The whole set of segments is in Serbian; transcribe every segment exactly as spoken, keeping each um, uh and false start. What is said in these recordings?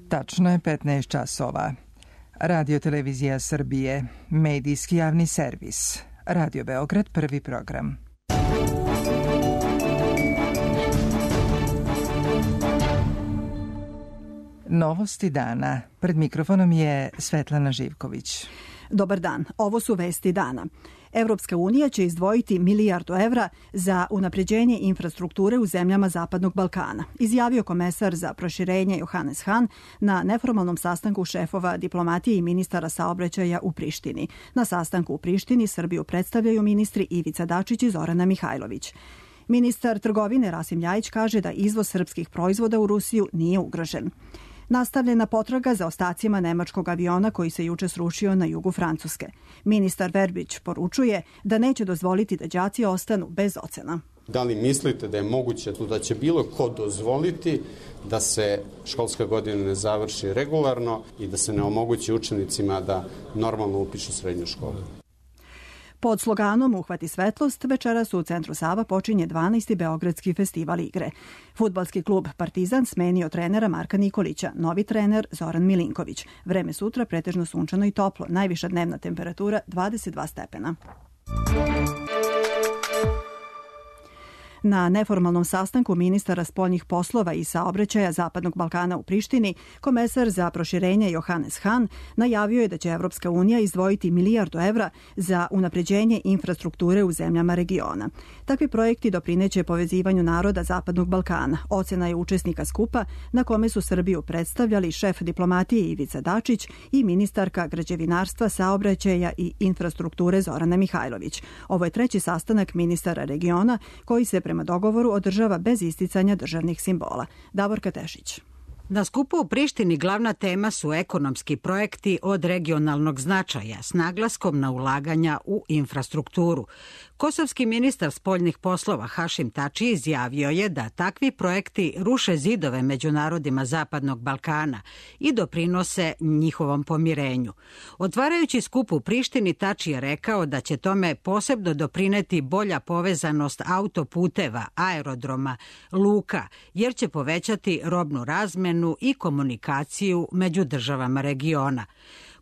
Tačno je petnaest časova. Radio Televizija Srbije, medijski javni servis. Radio Beograd, prvi program. Novosti dana. Pred mikrofonom je Svetlana Živković. Dobar dan, ovo su vesti dana. Evropska unija će izdvojiti milijardu evra za unapređenje infrastrukture u zemljama Zapadnog Balkana, izjavio komesar za proširenje Johannes Hahn na neformalnom sastanku šefova diplomatije i ministara saobraćaja u Prištini. Na sastanku u Prištini Srbiju predstavljaju ministri Ivica Dačić i Zorana Mihajlović. Ministar trgovine Rasim Ljajić kaže da izvoz srpskih proizvoda u Rusiju nije ugrožen. Nastavljena potraga za ostacima nemačkog aviona koji se juče srušio na jugu Francuske. Ministar Verbić poručuje da neće dozvoliti da đaci ostanu bez ocena. Da li mislite da je moguće da će bilo ko dozvoliti da se školska godina ne završi regularno i da se ne omogući učenicima da normalno upišu srednju školu? Pod sloganom Uhvati svetlost, večeras u centru Sava počinje dvanaesti Beogradski festival igre. Fudbalski klub Partizan smenio trenera Marka Nikolića, novi trener Zoran Milinković. Vreme sutra pretežno sunčano i toplo, najviša dnevna temperatura dvadeset dva stepena. Na neformalnom sastanku ministara spoljnih poslova i saobraćaja Zapadnog Balkana u Prištini, komesar za proširenje Johannes Hahn najavio je da će Evropska unija izdvojiti milijardu evra za unapređenje infrastrukture u zemljama regiona. Takvi projekti doprineće povezivanju naroda Zapadnog Balkana. Ocena je učesnika skupa na kome su Srbiju predstavljali šef diplomatije Ivica Dačić i ministarka građevinarstva, saobraćaja i infrastrukture Zorana Mihajlović. Ovo je treći sastanak ministara regiona koji se prema dogovoru održava bez isticanja državnih simbola. Davorka Tešić. Na skupu u Prištini glavna tema su ekonomski projekti od regionalnog značaja s naglaskom na ulaganja u infrastrukturu. Kosovski ministar spoljnih poslova Hašim Tači izjavio je da takvi projekti ruše zidove među narodima Zapadnog Balkana i doprinose njihovom pomirenju. Otvarajući skup u Prištini, Tači je rekao da će tome posebno doprineti bolja povezanost autoputeva, aerodroma, luka, jer će povećati robnu razmenu i komunikaciju među državama regiona.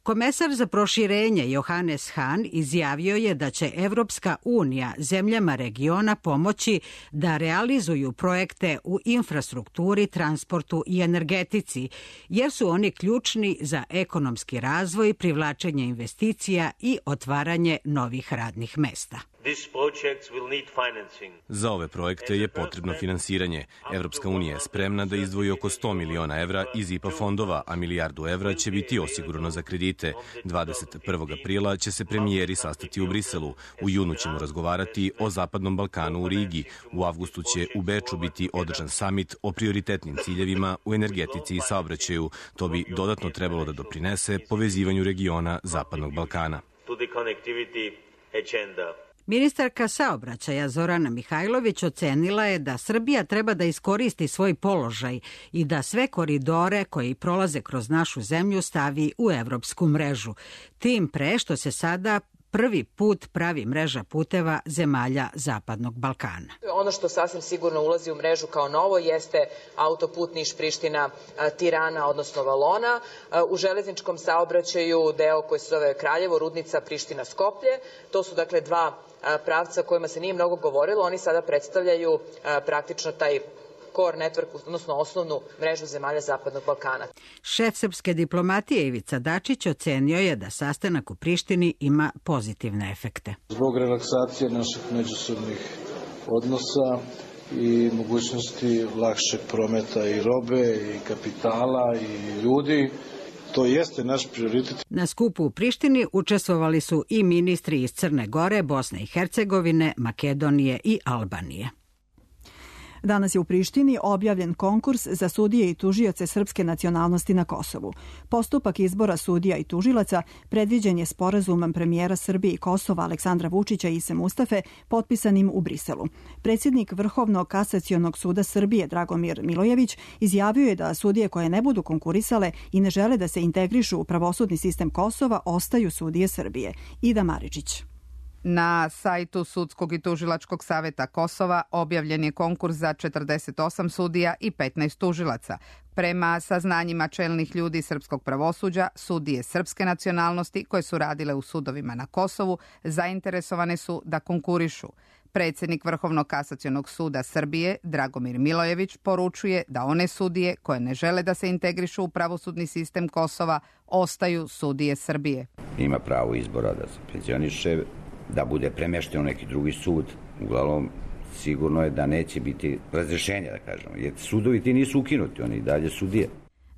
Komesar za proširenje Johannes Hahn izjavio je da će Evropska unija zemljama regiona pomoći da realizuju projekte u infrastrukturi, transportu i energetici, jer su oni ključni za ekonomski razvoj, privlačenje investicija i otvaranje novih radnih mesta. Za ove projekte je potrebno finansiranje. Evropska unija je spremna da izdvoji oko sto miliona evra iz I P A fondova, a milijardu evra će biti osigurano za kredite. dvadeset prvog aprila će se premijeri sastati u Briselu. U junu ćemo razgovarati o Zapadnom Balkanu u Rigi. U avgustu će u Beču biti održan samit o prioritetnim ciljevima u energetici i saobraćaju. To bi dodatno trebalo da doprinese povezivanju regiona Zapadnog Balkana. Ministarka saobraćaja Zorana Mihajlović ocenila je da Srbija treba da iskoristi svoj položaj i da sve koridore koji prolaze kroz našu zemlju stavi u evropsku mrežu. Tim pre što se sada prvi put pravi mreža puteva zemalja Zapadnog Balkana. Ono što sasvim sigurno ulazi u mrežu kao novo jeste autoput Niš-Priština-Tirana, odnosno Valona. U železničkom saobraćaju deo koji se zove Kraljevo, Rudnica, Priština-Skoplje. To su dakle dva pravca o kojima se nije mnogo govorilo. Oni sada predstavljaju praktično taj core network, odnosno osnovnu mrežu zemalja Zapadnog Balkana. Šef srpske diplomatije Ivica Dačić ocenio je da sastanak u Prištini ima pozitivne efekte. Zbog relaksacije naših međusobnih odnosa i mogućnosti lakšeg prometa i robe i kapitala i ljudi, to jeste naš prioritet. Na skupu u Prištini učestvovali su i ministri iz Crne Gore, Bosne i Hercegovine, Makedonije i Albanije. Danas je u Prištini objavljen konkurs za sudije i tužioce srpske nacionalnosti na Kosovu. Postupak izbora sudija i tužilaca predviđen je sporazumom premijera Srbije i Kosova Aleksandra Vučića i Ise Mustafe potpisanim u Briselu. Predsjednik Vrhovnog kasacionog suda Srbije Dragomir Milojević izjavio je da sudije koje ne budu konkurisale i ne žele da se integrišu u pravosudni sistem Kosova ostaju sudije Srbije. Ida Maričić. Na sajtu Sudskog i tužilačkog saveta Kosova objavljen je konkurs za četrdeset osam sudija i petnaest tužilaca. Prema saznanjima čelnih ljudi srpskog pravosuđa, sudije srpske nacionalnosti koje su radile u sudovima na Kosovu zainteresovane su da konkurišu. Predsjednik Vrhovnog kasacionog suda Srbije, Dragomir Milojević, poručuje da one sudije koje ne žele da se integrišu u pravosudni sistem Kosova ostaju sudije Srbije. Ima pravo izbora da se penzioniše, da bude premješten u neki drugi sud. Uglavnom, sigurno je da neće biti razrješenja, da kažemo, jer sudovi ti nisu ukinuti, oni i dalje sudije.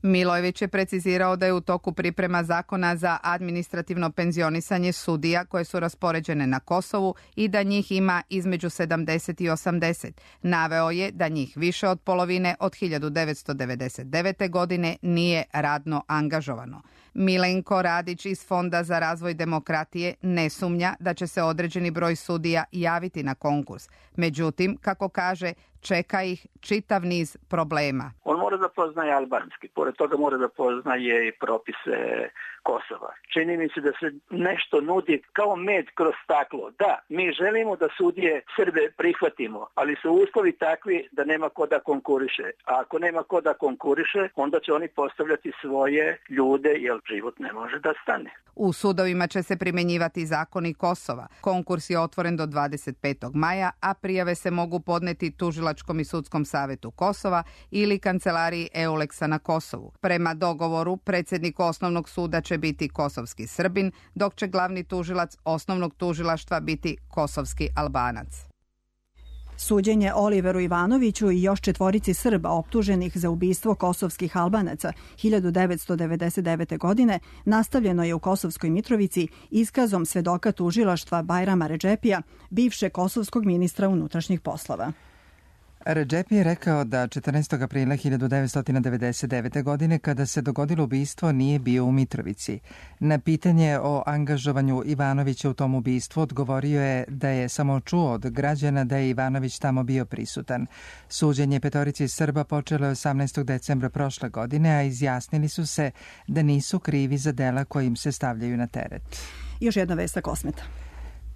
Milojević je precizirao da je u toku priprema zakona za administrativno penzionisanje sudija koje su raspoređene na Kosovu i da njih ima između sedamdeset i osamdeset. Naveo je da njih više od polovine od hiljadu devetsto devedeset devete. godine nije radno angažovano. Milenko Radić iz Fonda za razvoj demokratije ne sumnja da će se određeni broj sudija javiti na konkurs. Međutim, kako kaže, čeka ih čitav niz problema. On mora da poznaje albanski, pored toga mora da poznaje i propise Kosova. Čini mi se da se nešto nudi kao med kroz staklo. Da, mi želimo da sudije Srbe prihvatimo, ali su uslovi takvi da nema ko da konkuriše. A ako nema ko da konkuriše, onda će oni postavljati svoje ljude, jer život ne može da stane. U sudovima će se primjenjivati zakoni Kosova. Konkurs je otvoren do dvadeset petog maja, a prijave se mogu podneti Tužilačkom i sudskom savetu Kosova ili kancelariji Euleksa na Kosovu. Prema dogovoru, predsjednik osnovnog suda će biti kosovski Srbin, dok će glavni tužilac osnovnog tužilaštva biti kosovski Albanac. Suđenje Oliveru Ivanoviću i još četvorici Srba optuženih za ubistvo kosovskih Albanaca hiljadu devetsto devedeset devete. godine nastavljeno je u Kosovskoj Mitrovici iskazom svedoka tužilaštva Bajrama Redžepija, bivšeg kosovskog ministra unutrašnjih poslova. Redžepi je rekao da četrnaestog aprila hiljadu devetsto devedeset devete. godine, kada se dogodilo ubistvo, nije bio u Mitrovici. Na pitanje o angažovanju Ivanovića u tom ubistvu odgovorio je da je samo čuo od građana da je Ivanović tamo bio prisutan. Suđenje petorici Srba počelo je osamnaestog decembra prošle godine, a izjasnili su se da nisu krivi za dela koji im se stavljaju na teret. Još jedna vest sa Kosmeta.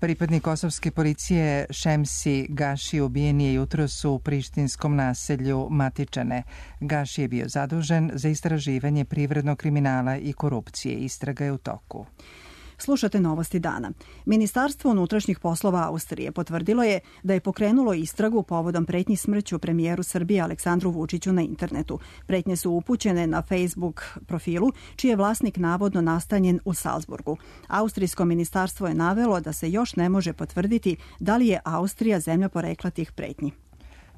Pripadnik kosovske policije Šemsi Gaši ubijen je jutros u prištinskom naselju Matičane. Gaši je bio zadužen za istraživanje privrednog kriminala i korupcije. Istraga je u toku. Slušate novosti dana. Ministarstvo unutrašnjih poslova Austrije potvrdilo je da je pokrenulo istragu povodom pretnji smrću premijeru Srbije Aleksandru Vučiću na internetu. Pretnje su upućene na Facebook profilu, čiji je vlasnik navodno nastanjen u Salzburgu. Austrijsko ministarstvo je navelo da se još ne može potvrditi da li je Austrija zemlja porekla tih pretnji.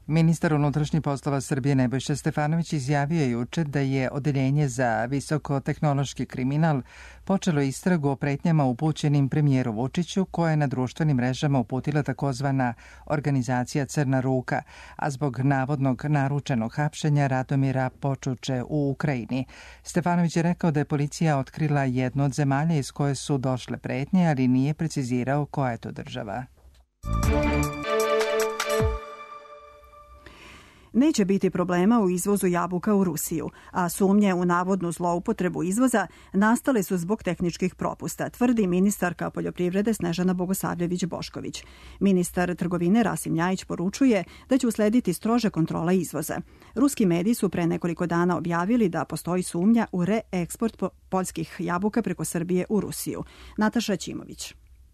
Ministar unutrašnjih poslova Srbije Nebojša Stefanović izjavio juče da je Odeljenje za visokotehnološki kriminal počelo istragu o pretnjama upućenim premijeru Vučiću, koja je na društvenim mrežama uputila takozvana organizacija Crna ruka, a zbog navodnog naručenog hapšenja Radomira Počuče u Ukrajini. Stefanović je rekao da je policija otkrila jednu od zemalja iz koje su došle pretnje, ali nije precizirao koja je to država. Neće biti problema u izvozu jabuka u Rusiju, a sumnje u navodnu zloupotrebu izvoza nastale su zbog tehničkih propusta, tvrdi ministarka poljoprivrede Snežana Bogosavljević-Bošković. Ministar trgovine Rasim Ljajić poručuje da će uslediti strože kontrola izvoza. Ruski mediji su pre nekoliko dana objavili da postoji sumnja u reeksport poljskih jabuka preko Srbije u Rusiju. Nataša Ćimović.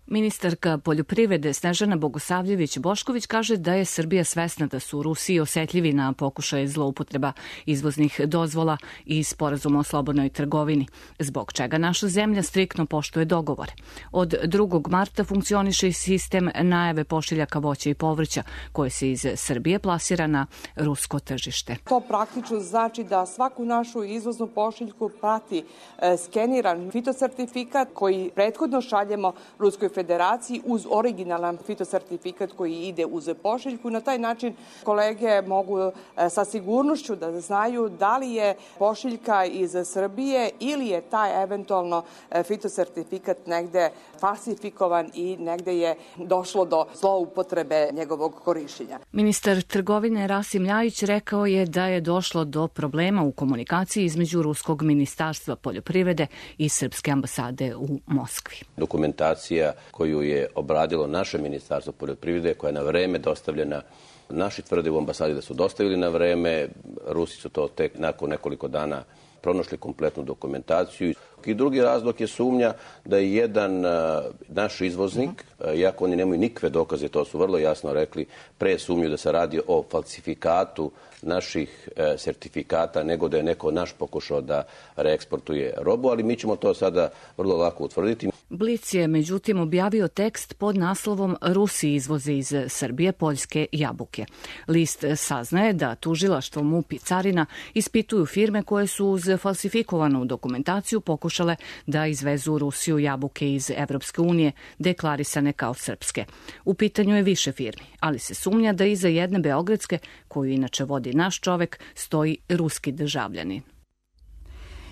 Ministarka poljoprivrede Snežana Bogosavljević-Bošković kaže da je Srbija svesna da su u Rusiji osetljivi na pokušaje zloupotreba izvoznih dozvola i sporazuma o slobodnoj trgovini, zbog čega naša zemlja striktno poštuje dogovore. Od drugog marta funkcioniše i sistem najave pošiljaka voća i povrća koje se iz Srbije plasira na rusko tržište. To praktično znači da svaku našu izvoznu pošiljku prati e, skeniran fitosertifikat koji prethodno šaljemo Ruskoj federaciji uz originalan fitosertifikat koji ide uz pošiljku. Na taj način kolege mogu sa sigurnošću da znaju da li je pošiljka iz Srbije ili je taj eventualno fitosertifikat negde falsifikovan i negde je došlo do zloupotrebe njegovog korišćenja. Ministar trgovine Rasim Ljajić rekao je da je došlo do problema u komunikaciji između Ruskog ministarstva poljoprivrede i Srpske ambasade u Moskvi. Dokumentacija koju je obradilo naše ministarstvo poljoprivrede, koja je na vreme dostavljena. Naši tvrde u ambasadi da su dostavili na vreme, Rusi su to tek nakon nekoliko dana pronašli kompletnu dokumentaciju. I drugi razlog je sumnja da je jedan naš izvoznik, iako oni nemaju nikakve dokaze, to su vrlo jasno rekli, pre sumnju da se radi o falsifikatu naših sertifikata, nego da je neko naš pokušao da reeksportuje robu, ali mi ćemo to sada vrlo lako utvrditi. Blic je međutim objavio tekst pod naslovom Rusi izvoze iz Srbije poljske jabuke. List saznaje da tužilaštvo MUP i carina ispituju firme koje su uz falsifikovanu dokumentaciju pokušale da izvezu u Rusiju jabuke iz Evropske unije, deklarisane kao srpske. U pitanju je više firmi, ali se sumnja da iza jedne beogradske, koju inače vodi naš čovek, stoji ruski državljanin.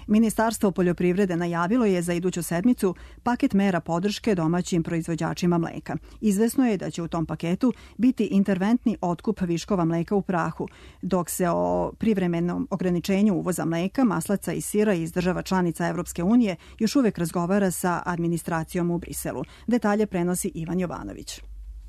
Ministarstvo poljoprivrede najavilo je za iduću sedmicu paket mera podrške domaćim proizvođačima mleka. Izvesno je da će u tom paketu biti interventni otkup viškova mleka u prahu, dok se o privremenom ograničenju uvoza mleka, maslaca i sira iz država članica Evropske unije još uvek razgovara sa administracijom u Briselu. Detalje prenosi Ivan Jovanović.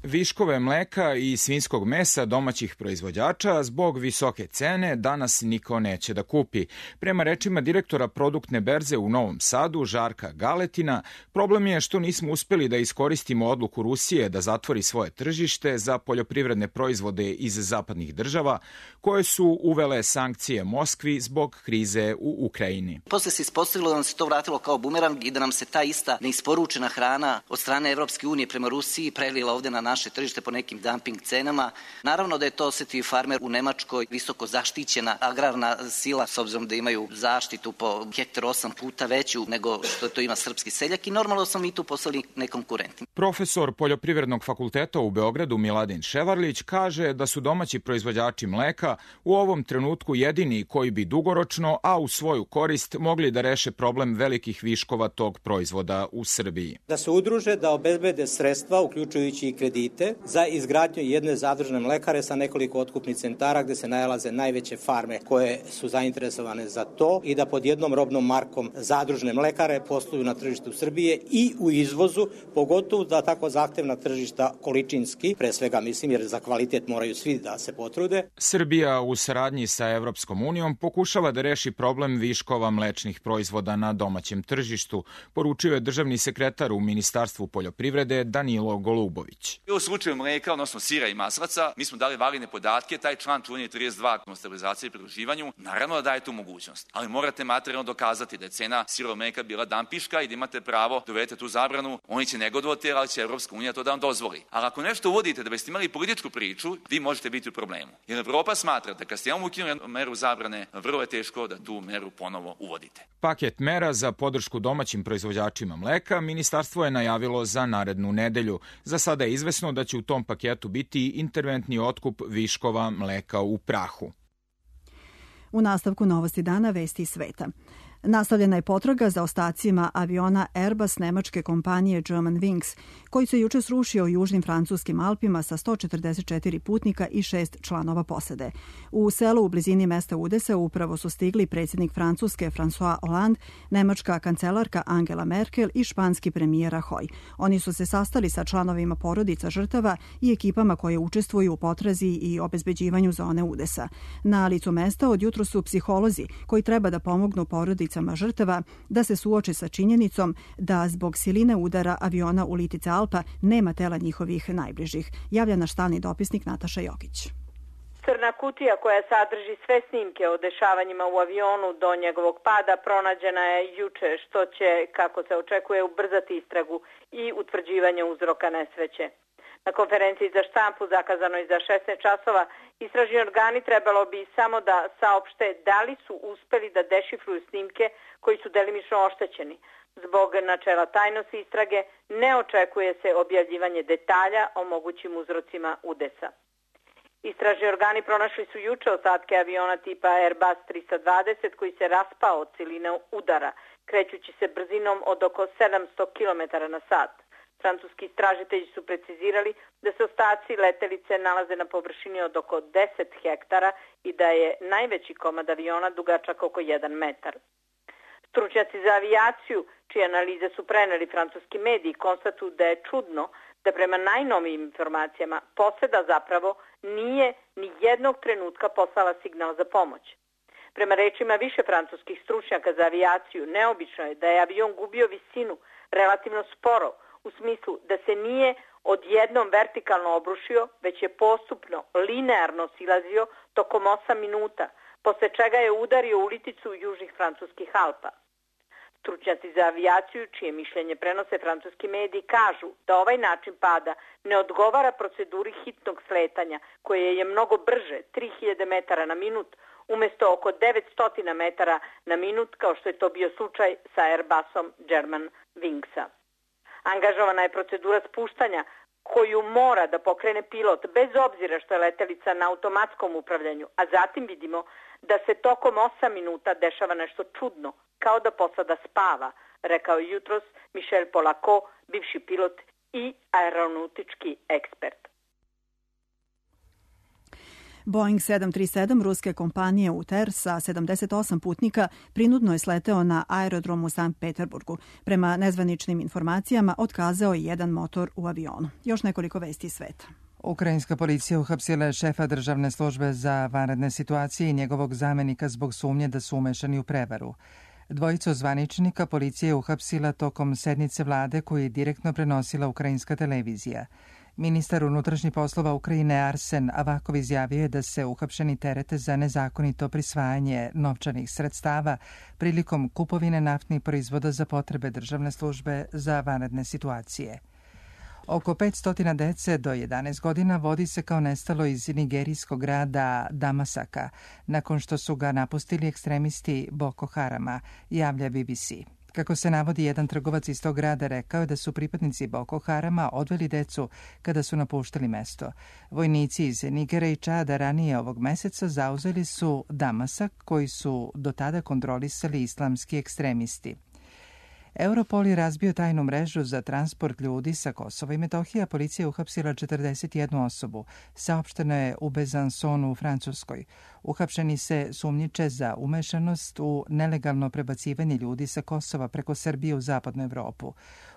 Viškove mleka i svinjskog mesa domaćih proizvođača zbog visoke cene danas niko neće da kupi. Prema rečima direktora produktne berze u Novom Sadu, Žarka Galetina, problem je što nismo uspeli da iskoristimo odluku Rusije da zatvori svoje tržište za poljoprivredne proizvode iz zapadnih država, koje su uvele sankcije Moskvi zbog krize u Ukrajini. Posle se ispostavilo da nam se to vratilo kao bumerang i da nam se ta ista neisporučena hrana od strane Evropske unije prema Rusiji prelila ovde na naše tržište po nekim dumping cenama. Naravno da je to osetio farmer u Nemačkoj, visoko zaštićena agrarna sila, s obzirom da imaju zaštitu po hektaru osam puta veću nego što to ima srpski seljak i normalno smo mi tu poslali nekonkurentni. Profesor Poljoprivrednog fakulteta u Beogradu Miladin Ševarlić kaže da su domaći proizvođači mleka u ovom trenutku jedini koji bi dugoročno, a u svoju korist, mogli da reše problem velikih viškova tog proizvoda u Srbiji. Da se udruže, da obezbede sredstva, uključujući i kredite, za izgradnju jedne zadružne mlekare sa nekoliko otkupnih centara gde se nalaze najveće farme koje su zainteresovane za to i da pod jednom robnom markom zadružne mlekare posluju na tržištu Srbije i u izvozu, pogotovo da tako zahtevna tržišta količinski, pre svega mislim jer za kvalitet moraju svi da se potrude. Srbija u saradnji sa Evropskom unijom pokušava da reši problem viškova mlečnih proizvoda na domaćem tržištu, poručio je državni sekretar u Ministarstvu poljoprivrede Danilo Golubović. U slučaju mleka, odnosno sira i maslaca, mi smo dali validne podatke, taj član čuveni trideset dva o stabilizaciji i pridruživanju, naravno da daje tu mogućnost, ali morate materijalno dokazati da je cena sirovog mleka bila dampiška i da imate pravo da uvedete tu zabranu. Oni će negodovati, ali će Evropska unija to da vam dozvoli. Ali ako nešto uvodite da biste imali političku priču, vi možete biti u problemu. Jer Evropa smatra da kad ste imamo ukinuli meru zabrane, vrlo je teško da tu meru ponovo uvodite. Paket mera za podršku domaćim proizvođačima mleka ministarstvo je najavilo za narednu nedelju. Za sada je izvesno da će u tom paketu biti interventni otkup viškova mleka u prahu. U nastavku novosti dana vesti iz sveta. Nastavljena je potraga za ostacima aviona Airbus nemačke kompanije Germanwings, koji se juče srušio u južnim francuskim Alpima sa sto četrdeset četiri putnika i šest članova posade. U selu u blizini mesta udesa upravo su stigli predsjednik Francuske François Hollande, nemačka kancelarka Angela Merkel i španski premijer Rajoy. Oni su se sastali sa članovima porodica žrtava i ekipama koje učestvuju u potrazi i obezbeđivanju zone udesa. Na licu mesta odjutro su psiholozi koji treba da pomognu porodicama žrtava da se suoče sa činjenicom da zbog siline udara aviona u litice Alpa nema tela njihovih najbližih, javlja naš stalni dopisnik Nataša Jokić. Crna kutija koja sadrži sve snimke o dešavanjima u avionu do njegovog pada pronađena je juče, što će, kako se očekuje, ubrzati istragu i utvrđivanje uzroka nesreće. Na konferenciji za štampu zakazanoj za šesnaest časova istražni organi trebalo bi samo da saopšte da li su uspeli da dešifruju snimke koji su delimično oštećeni. Zbog načela tajnosti istrage ne očekuje se objavljivanje detalja o mogućim uzrocima udesa. Istražni organi pronašli su juče ostatke aviona tipa Airbus trista dvadeset koji se raspao od siline udara, krećući se brzinom od oko sedamsto kilometara na sat. Francuski istražitelji su precizirali da se ostaci letelice nalaze na površini od oko deset hektara i da je najveći komad aviona dugačak oko jedan metar. Stručnjaci za avijaciju, čije analize su preneli francuski mediji, konstatuju da je čudno da prema najnovijim informacijama posada zapravo nije ni jednog trenutka poslala signal za pomoć. Prema rečima više francuskih stručnjaka za avijaciju, neobično je da je avion gubio visinu relativno sporo, u smislu da se nije odjednom vertikalno obrušio, već je postupno, linearno silazio tokom osam minuta, posle čega je udario u liticu južnih francuskih Alpa. Stručnjaci za avijaciju, čije mišljenje prenose francuski mediji, kažu da ovaj način pada ne odgovara proceduri hitnog sletanja, koje je mnogo brže, tri hiljade metara na minut, umjesto oko devetsto metara na minut, kao što je to bio slučaj sa Airbusom German Wingsa. Angažovana je procedura spuštanja koju mora da pokrene pilot bez obzira što je letelica na automatskom upravljanju, a zatim vidimo da se tokom osam minuta dešava nešto čudno, kao da posada spava, rekao je jutros Michel Polako, bivši pilot i aeronautički ekspert. Boeing sedam tri sedam ruske kompanije U T E R sa sedamdeset osam putnika prinudno je sleteo na aerodrom u Sankt Peterburgu. Prema nezvaničnim informacijama otkazao je jedan motor u avionu. Još nekoliko vesti iz sveta. Ukrajinska policija uhapsila je šefa državne službe za vanredne situacije i njegovog zamenika zbog sumnje da su umešani u prevaru. Dvojicu zvaničnika policija je uhapsila tokom sednice vlade koju je direktno prenosila ukrajinska televizija. Ministar unutrašnjih poslova Ukrajine Arsen Avakov izjavio je da se uhapšeni terete za nezakonito prisvajanje novčanih sredstava prilikom kupovine naftnih proizvoda za potrebe državne službe za vanredne situacije. Oko petsto dece do jedanaest godina vodi se kao nestalo iz nigerijskog grada Damasaka, nakon što su ga napustili ekstremisti Boko Harama, javlja B B C. Kako se navodi, jedan trgovac iz tog grada rekao je da su pripadnici Boko Harama odveli decu kada su napuštali mesto. Vojnici iz Nigera i Čada ranije ovog meseca zauzeli su Damasak, koji su do tada kontrolisali islamski ekstremisti. Europol je razbio tajnu mrežu za transport ljudi sa Kosova i Metohije, a policija je uhapsila četrdeset jednu osobu. Saopšteno je u Bezansonu u Francuskoj. Uhapšeni se sumnjiče za umešanost u nelegalno prebacivanje ljudi sa Kosova preko Srbije u zapadnu Evropu.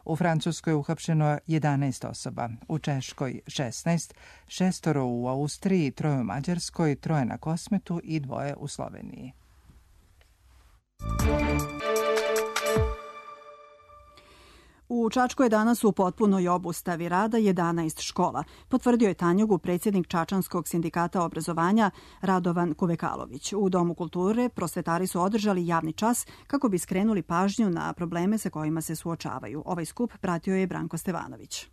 U Francuskoj je uhapšeno jedanaest osoba, u Češkoj šesnaest, šestoro u Austriji, troje u Mađarskoj, troje na Kosmetu i dvoje u Sloveniji. U Čačku je danas u potpunoj obustavi rada jedanaest škola, potvrdio je Tanjugu predsjednik Čačanskog sindikata obrazovanja Radovan Kuvekalović. U Domu kulture prosvetari su održali javni čas kako bi skrenuli pažnju na probleme sa kojima se suočavaju. Ovaj skup pratio je Branko Stevanović.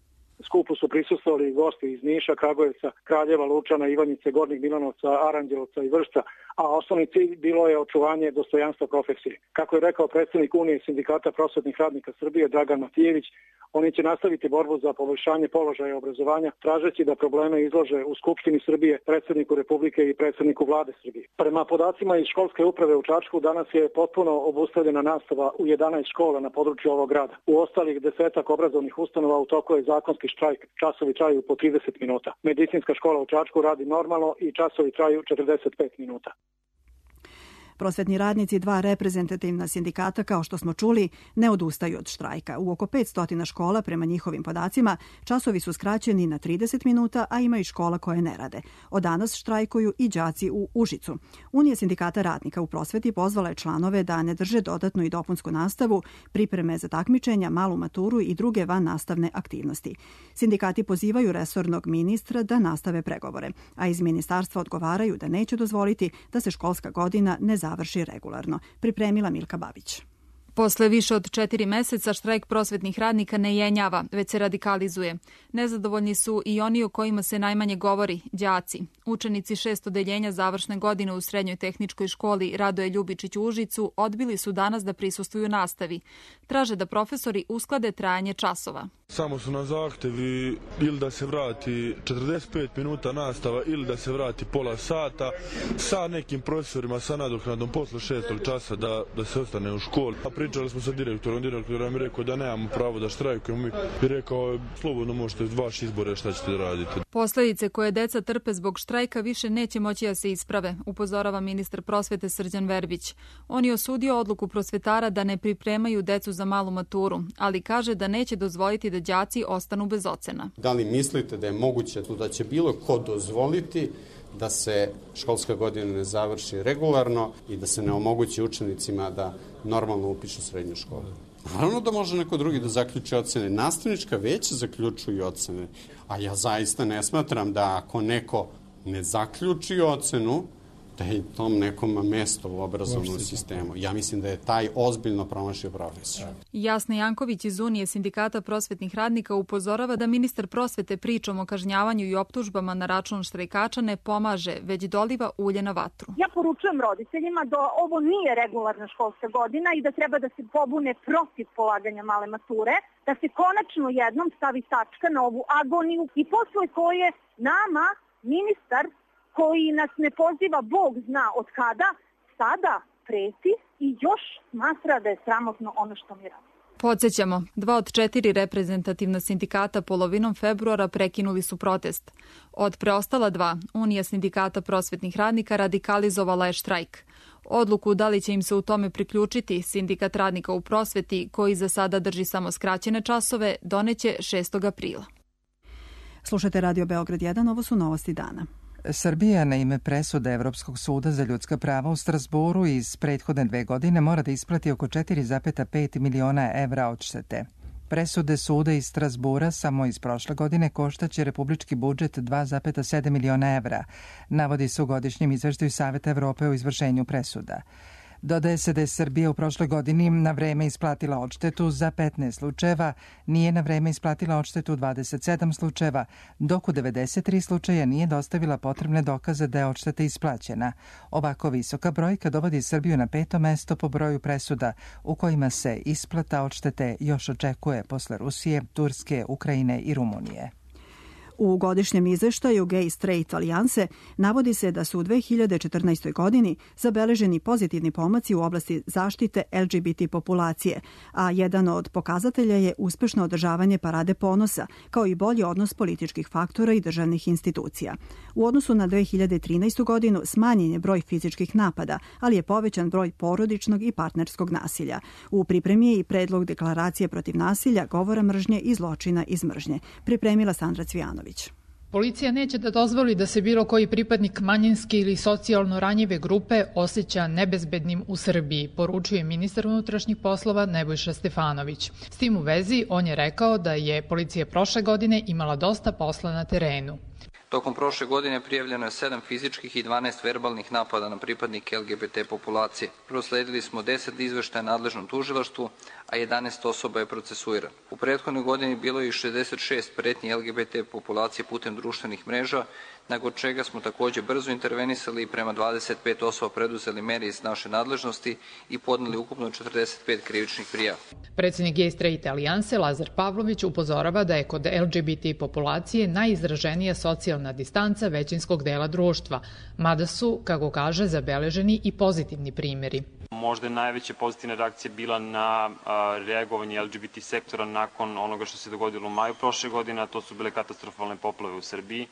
Skupu su prisustvovali gosti iz Niša, Kragujevca, Kraljeva, Lučana, Ivanjice, Gornjeg Milanovca, Aranđelovca i Vršca, a osnovni cilj bilo je očuvanje dostojanstva profesije. Kako je rekao predsjednik Unije sindikata prosvetnih radnika Srbije Dragan Matijević, oni će nastaviti borbu za poboljšanje položaja obrazovanja, tražeći da probleme izlože u Skupštini Srbije, predsjedniku Republike i predsjedniku vlade Srbije. Prema podacima iz školske uprave u Čačku, danas je potpuno obustavljena nastava u jedanaest škola na području ovog grada. U ostalih desetak obrazovnih ustanova u toku je zakonski štrajk, časovi traju po trideset minuta. Medicinska škola u Čačku radi normalno i časovi traju četrdeset pet minuta. Prosvetni radnici dva reprezentativna sindikata, kao što smo čuli, ne odustaju od štrajka. U oko petsto škola, prema njihovim podacima, časovi su skraćeni na trideset minuta, a ima i škola koje ne rade. Od danas štrajkuju i đaci u Užicu. Unija sindikata radnika u prosveti pozvala je članove da ne drže dodatnu i dopunsku nastavu, pripreme za takmičenja, malu maturu i druge van nastavne aktivnosti. Sindikati pozivaju resornog ministra da nastave pregovore, a iz ministarstva odgovaraju da neće dozvoliti da se školska godina ne završi regularno. Pripremila Milka Babić. Posle više od četiri meseca štrajk prosvetnih radnika ne jenjava, već se radikalizuje. Nezadovoljni su i oni o kojima se najmanje govori, đaci. Učenici šest odeljenja završne godine u Srednjoj tehničkoj školi Radoje Ljubičić u Užicu odbili su danas da prisustvuju nastavi. Traže da profesori usklade trajanje časova. Samo su na zahtevi ili da se vrati četrdeset pet minuta nastava ili da se vrati pola sata sa nekim profesorima sa nadoknadom posle šestog časa da, da se ostane u školi. pričali smo sa direktorom, direktor nam je rekao da nemamo pravo da štrajkujemo i rekao slobodno možete vaš izbore šta ćete da radite. Posledice koje deca trpe zbog štrajka više neće moći da se isprave, upozorava ministar prosvete Srđan Verbić. On je osudio odluku prosvetara da ne pripremaju decu za malu maturu, ali kaže da neće dozvoliti da đaci ostanu bez ocena. Da li mislite da je moguće da će bilo ko dozvoliti da se školska godina ne završi regularno i da se ne omogući učenicima da normalno upišu srednju školu? Naravno da može neko drugi da zaključi ocene. Nastavnička veća zaključuju ocene. A ja zaista ne smatram da ako neko ne zaključi ocenu, da je tom nekom mesto u obrazovnom sistemu. Ja mislim da je taj ozbiljno promašio profesiju. Jasna Janković iz Unije sindikata prosvetnih radnika upozorava da ministar prosvete pričom o kažnjavanju i optužbama na račun štrajkača ne pomaže, već doliva ulje na vatru. Ja poručujem roditeljima da ovo nije regularna školska godina i da treba da se pobune protiv polaganja male mature, da se konačno jednom stavi tačka na ovu agoniju i posle koje nama ministar koji nas ne poziva Bog zna od kada, sada preti i još smatra da je sramotno ono što mi radi. Podsjećamo, dva od četiri reprezentativna sindikata polovinom februara prekinuli su protest. Od preostala dva, Unija sindikata prosvetnih radnika radikalizovala je štrajk. Odluku da li će im se u tome priključiti sindikat radnika u prosveti, koji za sada drži samo skraćene časove, doneće šestog aprila. Slušajte Radio Beograd jedan, ovo su novosti dana. Srbija na ime presude Evropskog suda za ljudska prava u Strasboru iz prethodne dve godine mora da isplati oko četiri zarez pet miliona evra odštete. Presude suda iz Strasbura samo iz prošle godine koštaće republički budžet dva zarez sedam miliona evra, navodi se u godišnjem izveštaju Saveta Evrope o izvršenju presuda. Dodaje se da je Srbija u prošloj godini na vreme isplatila odštetu za petnaest slučajeva, nije na vreme isplatila odštetu u dvadeset sedam slučajeva, dok u devedeset tri slučaja nije dostavila potrebne dokaze da je odšteta isplaćena. Ovako visoka brojka dovodi Srbiju na peto mesto po broju presuda u kojima se isplata odštete još očekuje posle Rusije, Turske, Ukrajine i Rumunije. U godišnjem izveštaju Gay Straight Alijanse navodi se da su u dve hiljade četrnaestoj. godini zabeleženi pozitivni pomaci u oblasti zaštite L G B T populacije, a jedan od pokazatelja je uspešno održavanje Parade ponosa, kao i bolji odnos političkih faktora i državnih institucija. U odnosu na dve hiljade trinaestu. godinu smanjen je broj fizičkih napada, ali je povećan broj porodičnog i partnerskog nasilja. U pripremi je i predlog deklaracije protiv nasilja, govora mržnje i zločina iz mržnje. Pripremila Sandra Cvijanović. Policija neće da dozvoli da se bilo koji pripadnik manjinske ili socijalno ranjive grupe osjeća nebezbednim u Srbiji, poručuje ministar unutrašnjih poslova Nebojša Stefanović. S tim u vezi on je rekao da je policija prošle godine imala dosta posla na terenu. Tokom prošle godine prijavljeno je sedam fizičkih i dvanaest verbalnih napada na pripadnike L G B T populacije. Prosledili smo deset izveštaja nadležnom tužilaštvu, a jedanaest osoba je procesuirano. U prethodnoj godini bilo je i šezdeset šest pretnji L G B T populacije putem društvenih mreža, nakon čega smo takođe brzo intervenisali i prema dvadeset pet osoba preduzeli mere iz naše nadležnosti i podneli ukupno četrdeset pet krivičnih prijava. Predsednik Gay Straight Alijanse Lazar Pavlović upozorava da je kod L G B T populacije najizraženija socijalna distanca većinskog dela društva, mada su, kako kaže, zabeleženi i pozitivni primjeri. Možda je najveća pozitivna reakcija bila na a, reagovanje L G B T sektora nakon onoga što se dogodilo u maju prošle godine, a to su bile katastrofalne poplave u Srbiji.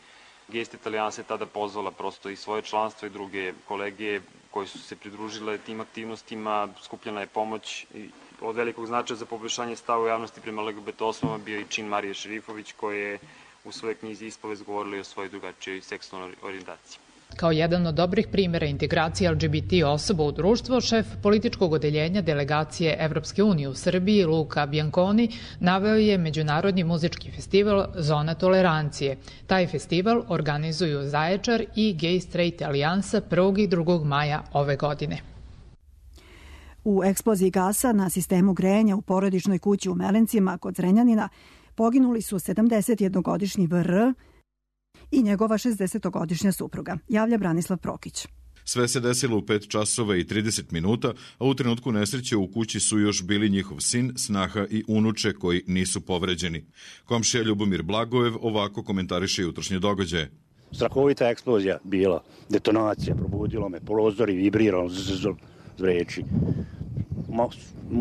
Gay Straight Alijansa je tada pozvala prosto i svoje članstvo i druge kolege koji su se pridružile tim aktivnostima, skupljena je pomoć i od velikog značaja za poboljšanje stava u javnosti prema L G B T osobama bio i čin Marije Šerifović, koja je u svojoj knjizi Ispovest govorila i o svojoj drugačijoj seksualnoj orijentaciji. Kao jedan od dobrih primjera integracije L G B T osoba u društvo, šef političkog odeljenja delegacije Evropske unije u Srbiji, Luka Bianconi, naveo je Međunarodni muzički festival Zona tolerancije. Taj festival organizuju Zaječar i Gay Straight Alijansa prvog i drugog maja ove godine. U eksploziji gasa na sistemu grejanja u porodičnoj kući u Melencima kod Zrenjanina poginuli su sedamdesetjednogodišnji V R i njegova šezdesetogodišnja supruga, javlja Branislav Prokić. Sve se desilo u pet časova i trideset minuta, a u trenutku nesreće u kući su još bili njihov sin, snaha i unuče koji nisu povređeni. Komšija Ljubomir Blagojev ovako komentariše jutrošnje događaje. Strahovita eksplozija bila, detonacija, probudilo me, prozori vibriralo, zreči.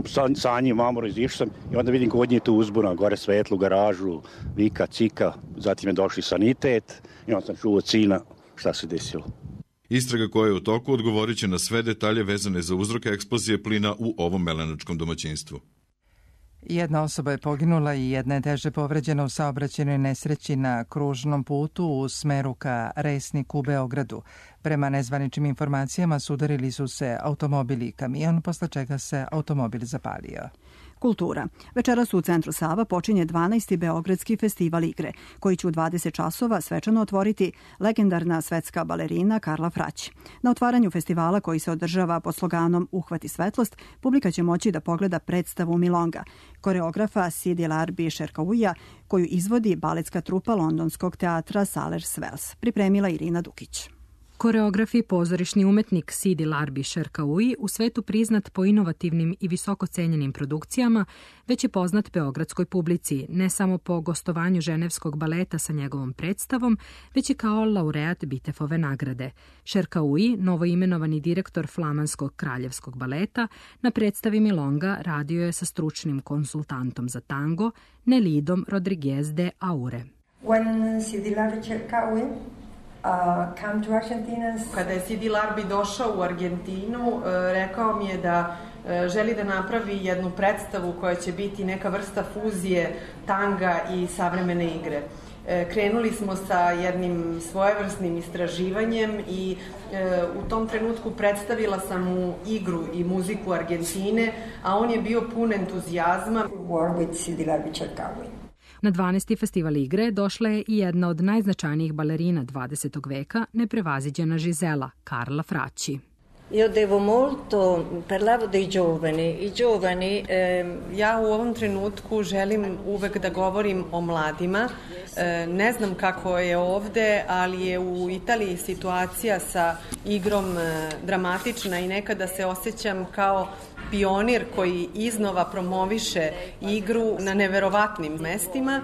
sa, sa njim mamoro izišao sam i onda vidim kod nje tu uzbuna, gore svetlu, garažu, vika, cika, zatim je došli sanitet i onda sam čuo od sina šta se desilo. Istraga koja je u toku odgovorit će na sve detalje vezane za uzroke eksplozije plina u ovom melenačkom domaćinstvu. Jedna osoba je poginula i jedna je teže povređena u saobraćajnoj nesreći na kružnom putu u smeru ka Resniku u Beogradu. Prema nezvaničnim informacijama sudarili su se automobil i kamion, posle čega se automobil zapalio. Kultura. Večeras u Centru Sava počinje dvanaesti Beogradski festival igre, koji će u dvadeset časova svečano otvoriti legendarna svetska balerina Karla Frać. Na otvaranju festivala, koji se održava pod sloganom Uhvati svetlost, publika će moći da pogleda predstavu Milonga, koreografa Sidi Larbi Šerkauija, koju izvodi baletska trupa londonskog teatra Salers Wells. Pripremila Irina Dukić. Koreograf i pozorišni umetnik Sidi Larbi Šerkauji, u svetu priznat po inovativnim i visoko cenjenim produkcijama, već je poznat beogradskoj publici, ne samo po gostovanju ženevskog baleta sa njegovom predstavom, već i kao laureat Bitefove nagrade. Šerkauji, novoimenovani direktor Flamanskog kraljevskog baleta, na predstavi Milonga radio je sa stručnim konsultantom za tango Nelidom Rodriguez de Aure. When Sidi Larbi Šerkauji Uh, come to Argentina. Kada je Sidi Larbi došao u Argentinu, uh, rekao mi je da uh, želi da napravi jednu predstavu koja će biti neka vrsta fuzije tanga i savremene igre. Uh, krenuli smo sa jednim svojevrsnim istraživanjem i uh, u tom trenutku predstavila sam mu igru i muziku Argentine, a on je bio pun entuzijazma. War with Sidi Larbi Šerkauji. Na dvanaesti festival igre došla je i jedna od najznačajnijih balerina dvadesetog veka, neprevaziđena Žizela, Karla Fracci. Io devo molto, parlavo dei giovani, i giovani... E, ja u ovom trenutku želim uvek da govorim o mladima. E, ne znam kako je ovde, ali je u Italiji situacija sa igrom e, dramatična i nekada se osjećam kao pionir koji iznova promoviše igru na neverovatnim mestima.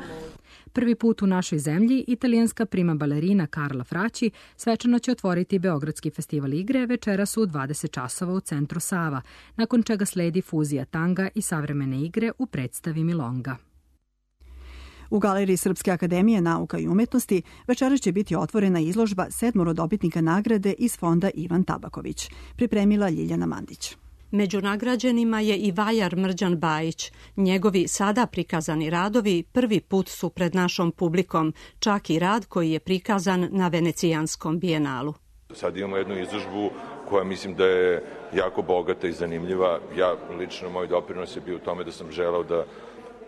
Prvi put u našoj zemlji italijanska prima balerina Karla Fracci svečano će otvoriti Beogradski festival igre večeras u dvadeset časova u Centru Sava, nakon čega sledi fuzija tanga i savremene igre u predstavi Milonga. U Galeriji Srpske akademije nauka i umetnosti večeras će biti otvorena izložba sedmoro dobitnika nagrade iz fonda Ivan Tabaković. Pripremila Ljiljana Mandić. Među nagrađenima je i vajar Mrđan Bajić. Njegovi sada prikazani radovi prvi put su pred našom publikom, čak i rad koji je prikazan na Venecijanskom bijenalu. Sad imamo jednu izložbu koja mislim da je jako bogata i zanimljiva. Ja lično, moj doprinos je bio u tome da sam želeo da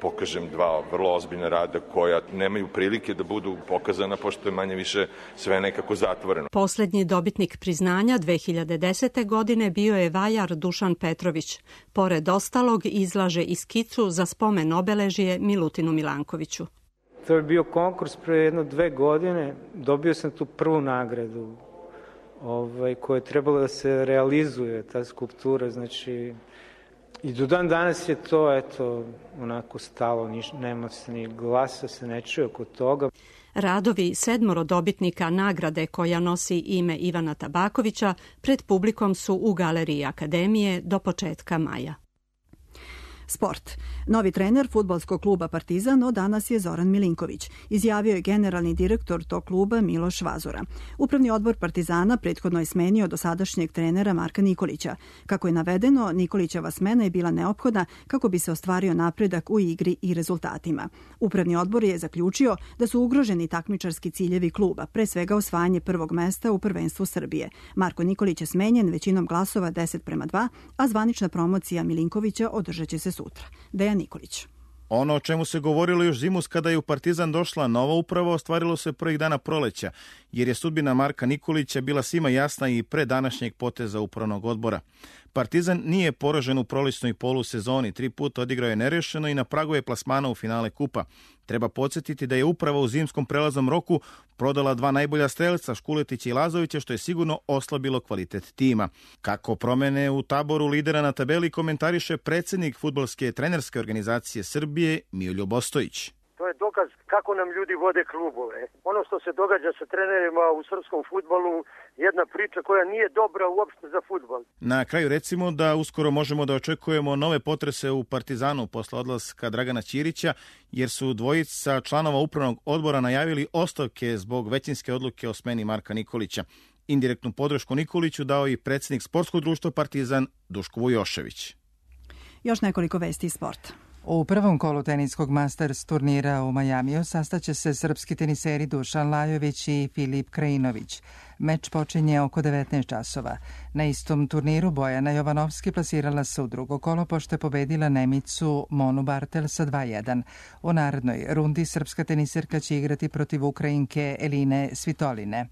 pokažem dva vrlo ozbiljna rada koja nemaju prilike da budu pokazana, pošto je manje više sve nekako zatvoreno. Poslednji dobitnik priznanja dve hiljade desete. godine bio je vajar Dušan Petrović. Pored ostalog izlaže i skicu za spomen obeležje Milutinu Milankoviću. To je bio konkurs pre jedno dve godine. Dobio sam tu prvu nagradu ovaj, koja je trebala da se realizuje, ta skulptura, znači... I do dan danas je to, eto, onako stalo, niš, nema se ni glasa, se ne čuje oko toga. Radovi sedmoro dobitnika nagrade koja nosi ime Ivana Tabakovića pred publikom su u Galeriji Akademije do početka maja. Sport. Novi trener fudbalskog kluba Partizan od danas je Zoran Milinković, izjavio je generalni direktor tog kluba Miloš Vazura. Upravni odbor Partizana prethodno je smenio dosadašnjeg trenera Marka Nikolića. Kako je navedeno, Nikolićeva smena je bila neophodna kako bi se ostvario napredak u igri i rezultatima. Upravni odbor je zaključio da su ugroženi takmičarski ciljevi kluba, pre svega osvajanje prvog mesta u prvenstvu Srbije. Marko Nikolić je smenjen većinom glasova deset prema dva, a zvanična promocija Milinkovića održat će se sutra. Dejan Nikolić. Ono o čemu se govorilo još zimus kada je u Partizan došla nova uprava ostvarilo se prvih dana proleća, jer je sudbina Marka Nikolića bila svima jasna i pre današnjeg poteza upravnog odbora. Partizan nije poražen u prolećnoj polusezoni, tri puta odigrao je nerešeno i na pragu je plasmana u finale kupa. Treba podsjetiti da je uprava u zimskom prelaznom roku prodala dva najbolja strelca, Škuletića i Lazovića, što je sigurno oslabilo kvalitet tima. Kako promene u taboru lidera na tabeli komentariše predsednik fudbalske trenerske organizacije Srbije Miljo Bostojić. To je dokaz kako nam ljudi vode klubove. Ono što se događa sa trenerima u srpskom fudbalu, jedna priča koja nije dobra uopšte za fudbal. Na kraju recimo da uskoro možemo da očekujemo nove potrese u Partizanu posle odlaska Dragana Ćirića, jer su dvojica članova upravnog odbora najavili ostavke zbog većinske odluke o smeni Marka Nikolića. Indirektnu podršku Nikoliću dao i predsjednik sportskog društva Partizan Duško Vujošević. Još nekoliko vesti iz sporta. U prvom kolu teniskog Masters turnira u Majamiju sastaće se srpski teniseri Dušan Lajović i Filip Krajinović. Meč počinje oko devetnaest časova. Na istom turniru Bojana Jovanovski plasirala se u drugo kolo pošto je pobedila Nemicu Monu Bartel sa dva jedan. U narednoj rundi srpska teniserka će igrati protiv Ukrajinke Eline Svitoline.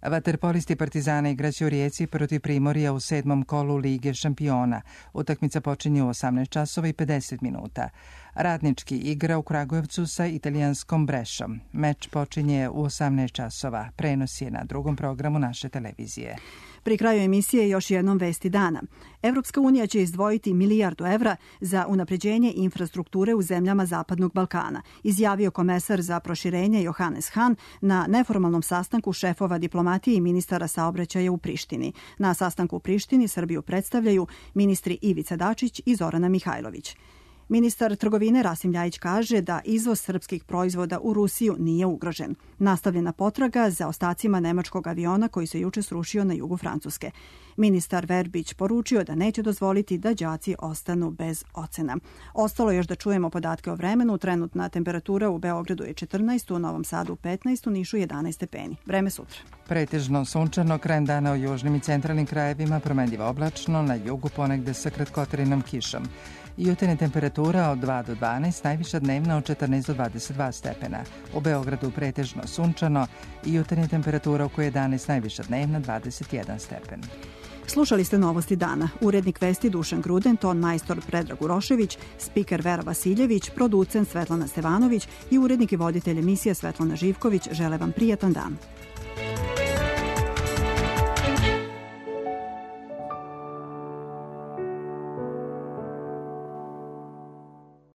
Vaterpolisti Partizana igraće u Rijeci protiv Primorja u sedmom kolu Lige šampiona. Utakmica počinje u osamnaest časova i pedeset minuta. Radnički igra u Kragujevcu sa italijanskom Brešom. Meč počinje u osamnaest časova. Prenos je na drugom programu naše televizije. Pri kraju emisije još jednom vesti dana. Evropska unija će izdvojiti milijardu evra za unapređenje infrastrukture u zemljama Zapadnog Balkana, izjavio komesar za proširenje Johannes Hahn na neformalnom sastanku šefova diplomatije i ministara saobraćaja u Prištini. Na sastanku u Prištini Srbiju predstavljaju ministri Ivica Dačić i Zorana Mihajlović. Ministar trgovine Rasim Ljajić kaže da izvoz srpskih proizvoda u Rusiju nije ugrožen. Nastavljena potraga za ostacima nemačkog aviona koji se juče srušio na jugu Francuske. Ministar Verbić poručio da neće dozvoliti da đaci ostanu bez ocena. Ostalo još da čujemo podatke o vremenu. Trenutna temperatura u Beogradu je četrnaest, u Novom Sadu petnaest, u Nišu jedanaest stepeni. Vreme sutra. Pretežno sunčano, krajem dana u južnim i centralnim krajevima, promenljivo oblačno, na jugu ponegde sa kratkotrajnom kišom. Jutarnja temperatura od dva do dvanaest, najviša dnevna od četrnaest do dvadeset dva stepena. U Beogradu pretežno sunčano i jutarnja temperatura oko jedanaest, najviša dnevna dvadeset jedan stepen. Slušali ste novosti dana. Urednik vesti Dušan Gruden, ton majstor Predrag Urošević, spiker Vera Vasiljević, producent Svetlana Stevanović i urednik i voditelj emisije Svetlana Živković žele vam prijatan dan.